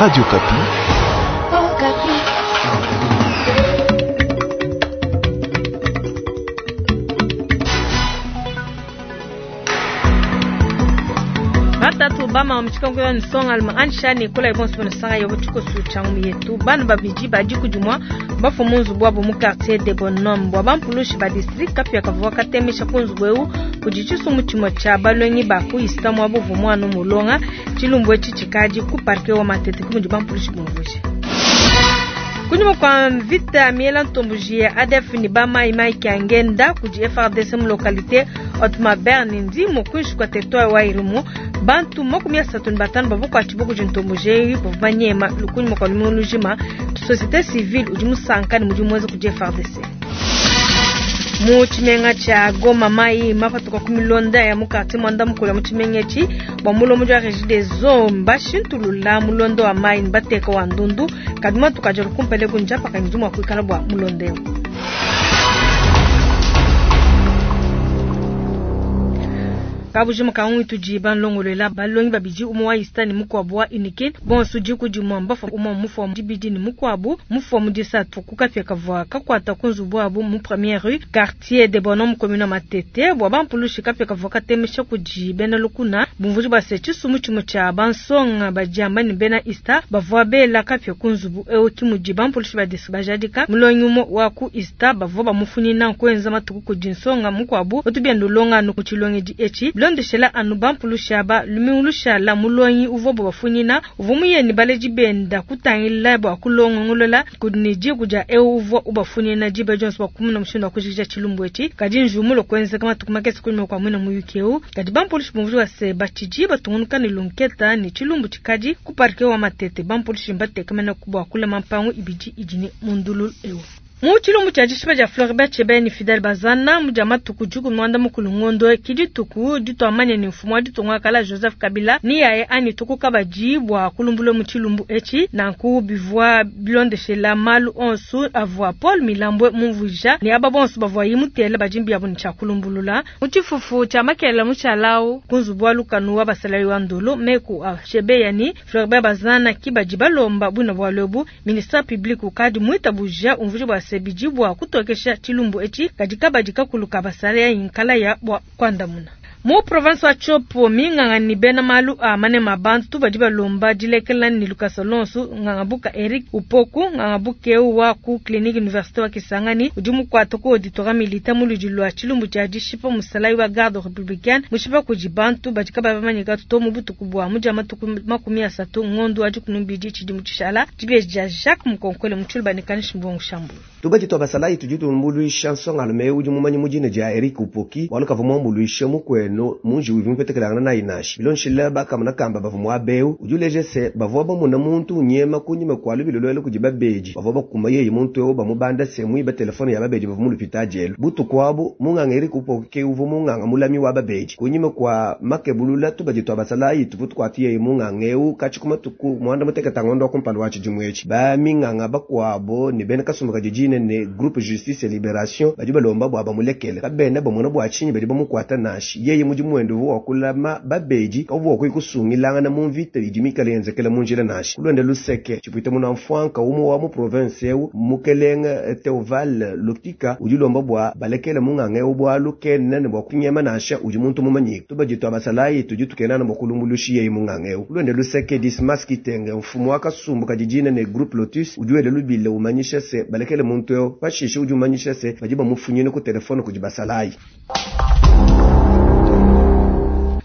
Radio Okapi. Oh, Batatu bama wa mutshikangu ya nsonga alma ansha ne kola ibonso bana sanga yobo tshikosu tsha ngumu yetu. Bana babidi badi kudimwa bafu mu nzubu wabo mu quartier de Bonhomme bua bampulushi ba district kapia kavua katemesha ku nzubu eu kudi tshisumbu tshimue tshia balongi ba ku ISTA muabo uvua muana mulonga tshilumbu etshi tshikadi ku parquet wa Matete ku mudi bampulushi bumvuija. Kunyima kua mvita miela ntomboji ya ADF ne ba mai mai kiangenda kudi FARDC mu localité Otmaber ne Ndimo kuinshi kua territoire wa Irumu, bantu 35 bavua kuatshibua kudi ntomboji eyi bavua banyema kunyima kua lumingu lujima. Société civile udi musanka ne mudimu muenza kudi FARDC. Mu tshimenga tshia Goma mai mapatuka ku milonda ya mu quartier muanda mukulu mu tshimenga etshi bua mulombodi wa Régie des Eaux mbashintulula mulondo wa mai ne bateka wa ndundu kadi matuku adi anu kumpala eku njapaka ngidi mua kuikala bua mulondo eu. Kabujima ka ngwi tudi banlongolola balongi babidi umue wa ISTA ne mukuabu wa UNIKIN bonso diku dimue mbafua umue mufua mu dibidi ne mukuabu mufua mu disatu ku kapia kavua kakuata ku nzubu wabu mu première rue quartier de Bonhomme commune Matete bua bampulushi kapia kavua katemesha kudi bena lukuna bumvuji bua se tshisumbu tshimue tshia bansonga badiamba ne bena ISTA bavua bela kapia ku nzubu eu ki mudi bampulushi ba district bajadika mulongi umue wa ku ISTA bavua bamufunyina kuenza matuku kudi nsonga mukuabu utu bienda ulonga anu ku tshilongedi etshi bilondeshela anu bampulushi aba lumingu lushala mulongi uvuabu bafunyina uvua muye ne baledi benda kutangila bua kulongolola kudi ne diku dia eu uvua ubafunyina diba dionso bua kumona mushindu wa kujikija tshilumbu etshi kadi njiwu kuenzeka matuku makese kunyima kua muina muyuki eu kadi bampulushi bumvuija se batshidi batungunuka ne lunketa ne tshilumbu tshikadi ku parquet wa Matete bampulushi mbatekamena bua kulama mpangu ibidi idi ne mundululu eu. Mu tshilumbu tshia dishipa dia Floribert Chebeya ne Fidel Bazana mu dia matuku diku muanda mukulu ngondo ki dituku dituamanye ne mfumu wa ditunga kala Joseph Kabila ni yaye anyi tuku kabadi bua kulumbula mu tshilumbu etshi nanku bivua bilondeshela malu onso avua Paul Milambwe mumvuija ne aba bonso bavua yimutela badimbi yabo ne tshia kulumbulula mu tshifufu tshia makela mushalau ku nzubu wa lukanu wa basalayi wa Ndolo meku a Chebeya ne Floribert Bazana ki badi balomba bwina bua lobu ministre public ukadi mwitabuja umvuija bua se bidi bua kutokesha tshilumbu etshi kadi kabadi kakulu ka basalayi nkala ya bua kuandamuna. Mu province wa Tshopo minganga ni bena malu a manema bantu badi balomba dilekela ni Lucas Alonso ngangabuka Eric Upoku ngangabuke wa ku clinique université wa Kisangani udi mukwata ku auditorat militaire mu ludi lwa tshilumbu tshia dishipa musalayi wa garde républicaine mushipa kudi bantu badi kaba bamanyika to mu butuku bua mu dia matuku 30 ngondo wa dikunumbidi tshidi mu tshishala dibeji dia Jacques Mukonkole mu tshilumbu ne kanishi mbongo shambu. Tubadi twa basalayi tudi tumbuluisha nsongalume udi mumanyi mudina dia Eric Upoki waluka muambuluisha mukwenu munji udi mupetekelangana nayi nashi bilonshila bakamuna kamba bavua muabeu udi uleja se bavua bamuna muntu unyema kunyima kwa lubilo lwelo kudi babedi bavua bakuma yeye muntu eu bamubanda se muiba telefone ya babedi bavua mulupita jelu butuku abu munganga Eric Upoki ke uvua munganga mulami wa babedi kunyima kwa makebulula tubadi twa basalayi tuvu tukwati yeye munganga eu katshi kumatuku muanda muteketa ngondo wa kumpala wa tshidimu etshi baminganga bakuabo ne bena kasumbu kadidine ne groupe justice et libération badi balomba bua bamulekele kabena bamona bua tshinyi badi bamukwata nashi yeye mudi mwendo wa kulama babedi kavua kuyi kusungilangana mu mvita idi mikale yenzekela mu njila nashi kulonda luseke tshipwita muna mfwanka umwe wa mu province eu mukelenga Theoval Lutika udi lomba bua balekele munganga eu bwalu kena ne bua kunyema nasha udi muntu mumanyika tubadi twa basalayi tudi tukenana bua kulumbulushi yeye munganga eu kulonda luseke Dismas Kitenge mfumu wa kasumbu kadidine ne groupe Lotus udi wele lubile umanyisha se balekele muntu eu pashishe udi umanyisha se badi bamufunyine ku telefone kudi basalayi.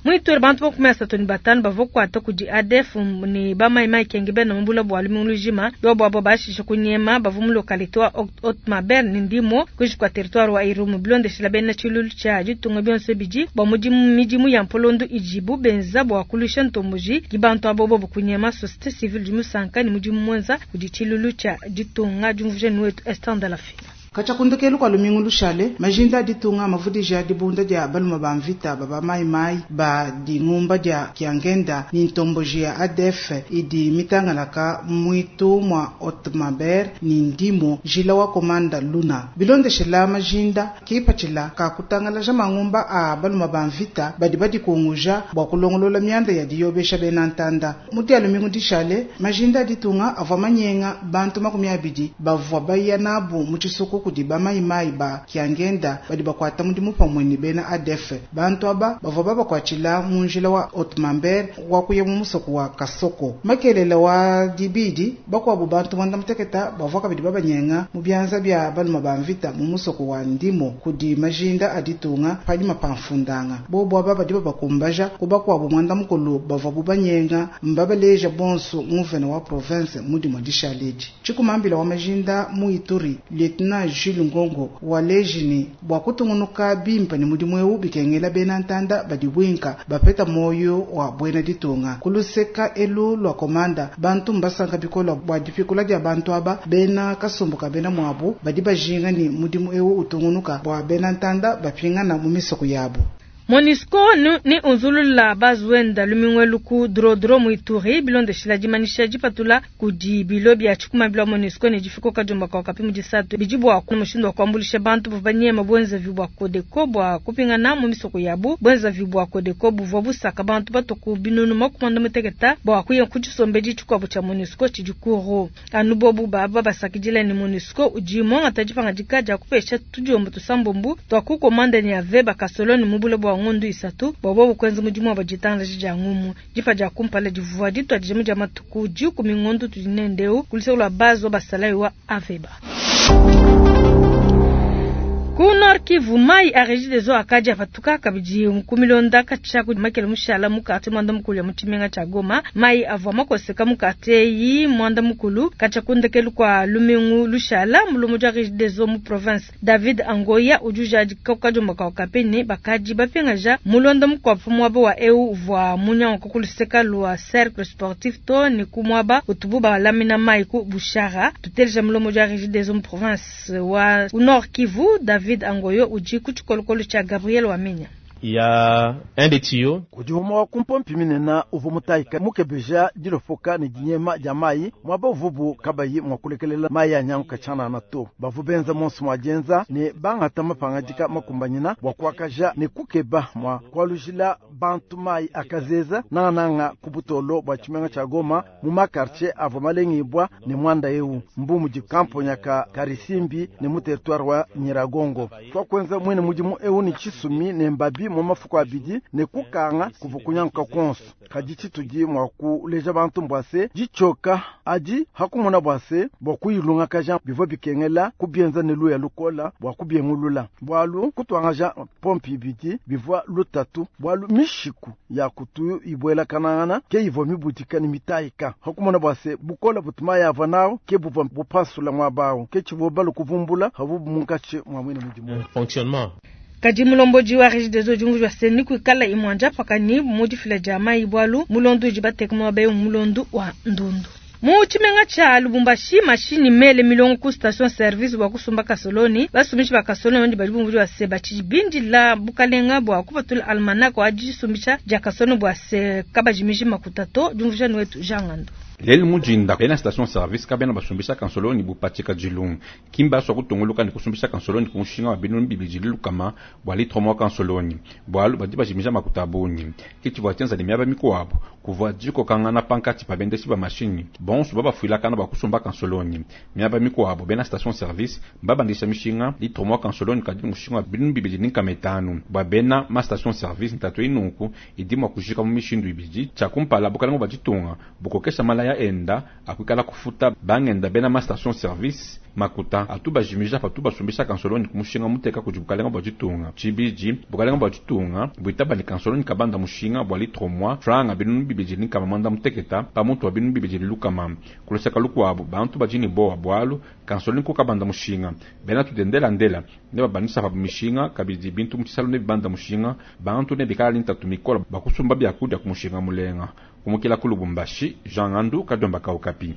Mwituri bantu 35 bavua kuata kudi ADF ne bamaimai kenge bena mubula bua lumingu lujima yobo abo bashisha kunyema bavua mu localité wa Otmaber ne Ndimo kuinshi kua territoire wa Irumu bilondeshela bena tshilulu tshia ditunga bionso bidi bua mudimu midimu ya mpolondo idibu benza bua kulusha ntomboji ki bantu abo bobo kunyema société civile di musanka ne mudimu mwenza kudi tshilulu tshia ditunga diumvuija ni wetu Esther Ndalafina. Katshia ku ndekelu kua lumingu lushale, majinda a ditunga mavudija dibunda dia baluma ba mvita ba ba mai mai ba dingumba dia Kiangenda ni ntomboji ya ADF idi mitangalaka muitu mua Haut-Mambere ni Ndimo njila wa Komanda Luna. Bilondeshela majinda kipatshila ka kutangalaja mangumba a baluma ba mvita badi badikunguja bua kulongolola mianda ya diyobesha bena ntanda. Mu dia lumingu dishale, majinda a ditunga avua manyenga bantu 20 bavua baya nabu mu tshisuku kudi ba mai mai ba Kiangenda badi bakuata mudimu pamue ne bena ADF. Bantu aba bavua babakuatshila mu njila wa Haut-Mambere wa kuya mu musoko wa Kasoko. Makelele wa dibidi bakuabu bantu mwanda muteketa bavua kabidi babanyenga mu bianza bia baluma ba mvita mu musoko wa Ndimo kudi majinda a ditunga panyima pa mfundanga. Bobo aba badi babakumbaja ku bakuabu mwanda mukulu bavua bubanyenga mbabaleja bonso nguvena wa province mudimo dishaledi. Tshikumambila wa majinda mu Ituri Lieutenant Jules Ngongo waleji bua kutungunuka bimpe ne mudimu eu bikengela bena ntanda badi bwinka bapeta moyo wa bwena ditunga. Kuluseka elu lwa komanda bantu mbasanka bikola bua dipikula dia bantu aba bena kasumbuka bena mwabu badi bajinga ni mudimu eu utungunuka bua bena ntanda bapingana mu misoko yabo. MONUSCO ni unzulula bazuenda lumingwelu ku drodro mu Ituri bilondeshila dimanisha dipatula kudi bilo bia tshikumabilo wa MONUSCO ne difiko kajumba kwa kapi mu disatu bidi bua ku mushindu wa kuambulisha bantu bavua banyema bwenzavi bua Codeco bua kupingana mu misoko yabu. Bwenzavi bua Codeco buvua busaka bantu batoku binunu 60 bua kuya ku tshisombedi tshikuabu tshia MONUSCO tshidi kuro. Anu bobu baba basakidila ni MONUSCO udi mwangata dipangadika dia kupesha tudiombo tusambombu twa ku komanda ni ave bakasoloni mu bule bua ngondu isatu bua bobu kwenza mudimu wa bajitangalaji dia ngumu. Dipa dia kumpala divua ditua dijimu dia matuku 10 ngondu tudi nendeu kuliseko lwa base wa basalayi wa aveba. Ku Nord Kivu mai a Regideso akadi apatuka kabidi nkumilonda katshia ku makele mushala mu quartier mwanda mukulu ya mu tshimenga tshia Goma. Mai avua makoseka mu quartier yi mwanda mukulu katshia ku ndekelu kwa lumingu lushala mulumu dia Regideso mu province David Angoya udi ujadika kukadiomba ka Okapi bakadi bapingaja mulonda mukuabu muaba wa eu uvua munyanguka kuluseka lwa cercle sportif to ni ku muaba utubu balamina mai ku Bushara. Tuteleja mulomo dia Regideso mu province wa Nord Kivu David Angoyo udi ku tshikolokolo tshia Gabriel Wamenya. Il y a un des tuyaux. Kudi umwe wa kumpompi minena uvu mutaika mukebeja dilofoka ni dinyema dia mai mwaba uvubu kabayi mwakulekelela mai ya nyanguka tshana na to. Bavu benza monso mwajenza ne bangata mapangadika makumbanyina bua kuakaja ne kukeba mwa kualujila bantu mai akazeza nananga kubutolo bua tshimenga tshia Goma mu makartier avua malengibwa ne mwanda eu mbumu di kamponya ka Karisimbi ne mu territoire wa Nyiragongo. Twakwenza mwene mudimu eu ni tshisumi ne mbabi mu mafuko abidi ne kukanga kuva kunyanguka konso. Kadi tshitudi mwa kuleja bantu mbwase ditshoka adi hakumona bwase bua kuyilungakaja bivua bikengela kubienza ne luya lukola bua kubiengulula. Bwalu kutwangaja pompi ibidi bivua lutatu bwalu mishiku ya kutu ibwela kanangana ke ivua mibudika ne mitayika. Hakumona bwase bukola butuma yava nao ke buvua bupasula mwabawo ke tshivua balu kuvumbula havubu munkatshi mwa mwene mudimu. Fonctionnement. Kadi mulomboji wa Regideso udi wa seni kuikala imwanja pakani mudifila dia mai bwalu mulondu udi bateka muaba mulondu wa ndundu. Mu tshimenga tshia Lubumbashi mashini mele milongo ku station service bua kusumba kasoloni basumishi ba kasoloni ndi badi bumvua bua se batshibindila bukalenga bua kupatula almanach wa disumbisha dia kasoloni bua se kabajimiji makuta to diumvuija wetu Jean Ngando. Leli mujinda bena station service kabena basumbisha kansoloni bupatika jilungu kimba swa kutunguluka ni kusumbisha kansoloni kumushinga wa binunu bibili lukama bwa litro mwa kansoloni bwalu badi bajimija makuta bunyi kichi bwa tyenza ni miaba mikuabu kuvua jiko kangana pankati pa bendeshi ba mashini bonso babafuilakana bwa kusumba kansoloni miaba mikuabu bena station service babandisha mishinga litro mwa kansoloni kadi mushinga wa binunu bibili ni nkama etanu bwa bena ma station service ntatu inunku idi mwa kujika mu mishindu ibidi tshia kumpala bukalenga bwa ditunga bukokesha malaya enda akuikala kufuta bangenda bena ma station service makuta atu bajimija patu basumbisha kansoloni kumushinga muteka kudi bukalenga bwa ditunga tshibidi bukalenga bwa ditunga buitaba ni kansoloni kabanda mushinga bwa litro mwa franga binunu bibidi ni nkama mwanda muteketa pamutu wa binunu bibidi lukama kuluseka lukuabu bantu bajini bowa bwalu kansoloni kukabanda mushinga bena tudendela ndela ne babanisa pa mishinga kabidi bintu mutshisalu ne bibanda mushinga bantu ne bikala ntatu mikola bakusumba byakudia kumushinga mulenga kumukila ku Lubumbashi Jean Ngandu Kadiomba ka Okapi.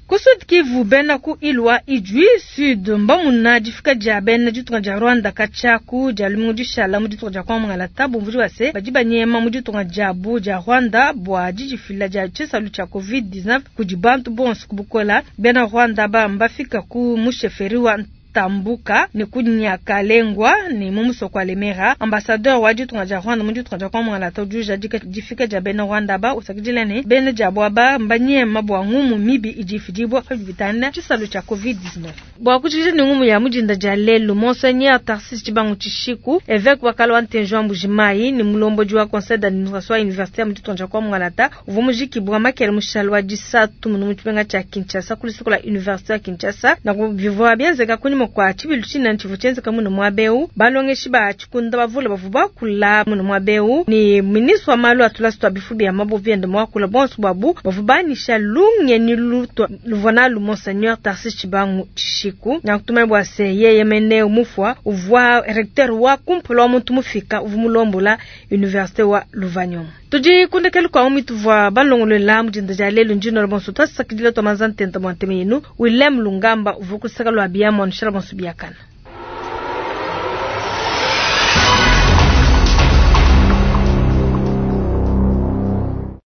Ku Sud Kivu, bena ku île wa Idjwi Sud mbamuna difika dia bena ditunga dia Rwanda katshia ku dia lumingu dishala mu ditunga dia Kongo Mungalata, bumvudi bua se badi banyema mu ditunga diabu dia Rwanda bua didifila dia tshisalu tshia Covid-19 kudi bantu bonso ku bukola. Bena Rwanda aba mbafika ku mu chefferie wa Tambuka ne ku Nyakalengwa ne mu musoko wa Lemera. Ambassadeur wa ditunga dia Rwanda mu ditunga dia Kongo Mungalata udi ujadika difika dia bena Rwanda aba, usakidila ne bena diabu aba mbanyema bua ngumu mibi idi ifidibua pa bibitanda tshisalu tshia Covid-19. Bua kujikija ne ngumu ya mudinda dia lelu, Monseigneur Tharcisse Tshibangu Tshishiku, évêque wa kala wa Ntenji wa Mbuji-Mayi ne mulombodi wa conseil d'administration wa université ya mu ditunga dia Kongo Mungalata, uvua mujikibua makele mushale wa disatu munu mu tshimenga tshia Kinshasa ku luseke lua université wa Kinshasa. Nanku bivua bienzeka kunyima kua tshibilu tshinene tshivua tshienzeka munu muaba eu. Balongeshi ba tshikunda bavule bavua bakula munu muaba eu, ne ministre wa malu a tulasa tua bifu bia mabue biende muakula. Bonso buabu bavua banyisha lungenyi lutua luvua nalu Monseigneur Tharcisse Tshibangu Tshishiku. Nanku tumanye bua se yeye mene mufua uvua recteur wa kumpala wa muntu mufika uvua mulombola université wa Lovanium. Tudi ku ndekelu kua umi tuvua balongolola mu dinda dia lelu. Ndi nnuela bonso tuasakidila tua manza ntenta bua ntema yenu. Willem Lungamba uvua ku luseke lua biamu anushala bonso biakana.